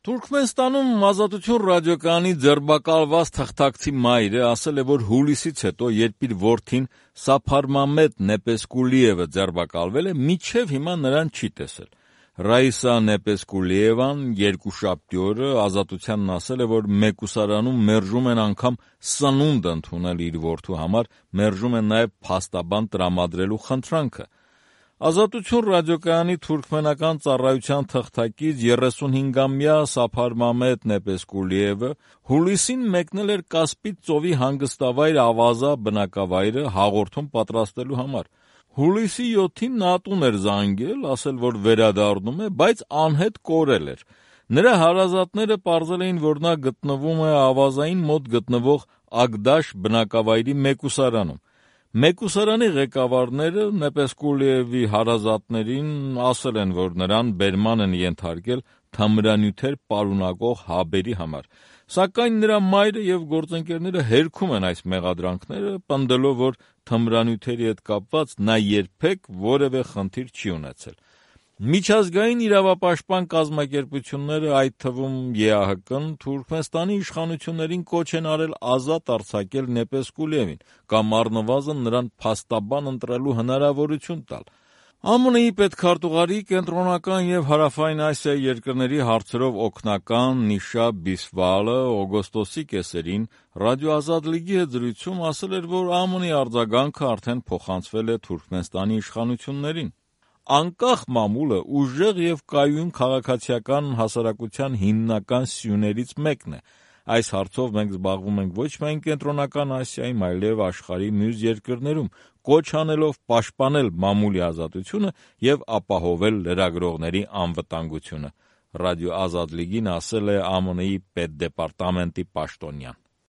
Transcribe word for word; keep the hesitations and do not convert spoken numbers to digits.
Թուրքմենստանում Ազատություն ռադիոկայանի ձերբակալված թղթակցի մայրը ասել է, որ հուլիսից հետո, երբ իր որդին Սափարմամեդ Նեպեսկուլիևը ձերբակալվել է, մինչև հիմա նրան չի տեսել։ Ռաիսա Նեպեսկուլիևան երկուշաբթի օրը Ազատությանն ասել է, որ մեկուսարանում մերժում են անգամ սնունդ ընդունել իր որդու համար, մերժում են նաև փաստաբան տրամադրելու խնդրանքը։ Ազատություն ռադիոկայանի թուրքմենական ծառայության թղթակից երեսունհինգամյա Սափարմամեդ Նեպեսկուլիևը հուլիսին մեկնել էր Կասպից ծովի հանգստավայր Ավազա բնակավայրը հաղորդում պատրաստելու համար։ Հուլիսի յոթին նա տուն էր զանգել, ասել, որ վերադառնում է, բայց անհետ կորել էր։ Նրա հարազատները պարզել էին, որ նա գտնվում է Ավազային մոտ գտնվող Ագդաշ բնակավայրի մեկուսարանում։ Մեկուսարանի ղեկավարները Նեպեսկուլիևի հարազատներին ասել են, որ նրան բերման են ենթարկել թմրանյութեր պարունակող հաբերի համար, սակայն նրա մայրը և գործընկերները հերքում են այս մեղադրանքները, պնդելով, որ թմրանյութերի հետ կապված նա երբեք որևէ խնդիր չի ունեցել։ Միջազգային իրավապաշտպան կազմակերպությունները, այդ թվում Է Ա Հ Կն, Թուրքմենստանի իշխանություններին կոչ են արել ազատ արձակել Նեպեսկուլիևին կամ առնվազն նրան փաստաբան ընտրելու հնարավորություն տալ։ Ամենի պետքարտուղարի կենտրոնական և հարավային Ասիայի երկրների հարցերով օգնական Նիշա Բիսվալը օգոստոսի կեսերին Ռադիո Ազատ լիգի հետ զրույցում ասել էր, որ Ամենի արձագանքը արդեն փոխանցվել է Թուրքմենստանի իշխանություններին։ Անկախ մամուլը ուժեղ և կայուն քաղաքացիական հասարակության հիմնական սյուներից մեկն է։ Այս հարցով մենք զբաղվում ենք ոչ միայն Կենտրոնական Ասիայում, այլև աշխարհի մյուս երկրներում, կոչ անելով պաշտպանել մամուլի ազատությունը և ապահովել լրագրողների անվտանգությունը, Ռադիո Ազատ լիգին ասել է Ամենի պետդեպարտամենտի պաշտոնյան։